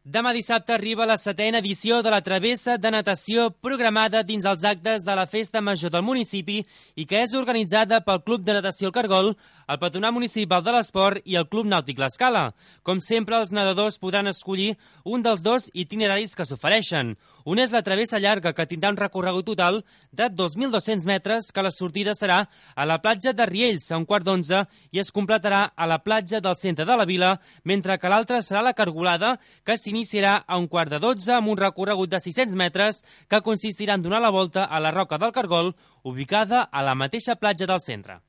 Demà dissabte arriba la 7ª edició de la travessa de natació programada dins els actes de la Festa Major del municipi i que és organitzada pel Club de Natació El Cargol, el Patronat Municipal de l'Esport i el Club Nàutic L'Escala. Com sempre, els nedadors podran escollir un dels dos itineraris que s'ofereixen. Un és la travessa llarga, que tindrà un recorregut total de 2.200 metres, que la sortida serà a la platja de Riells a 11:15 i es completarà a la platja del centre de la vila, mentre que l'altra serà la cargolada, que s'iniciarà a 11:45 amb un recorregut de 600 metres que consistirà en donar la volta a la Roca del Cargol, ubicada a la mateixa platja del centre.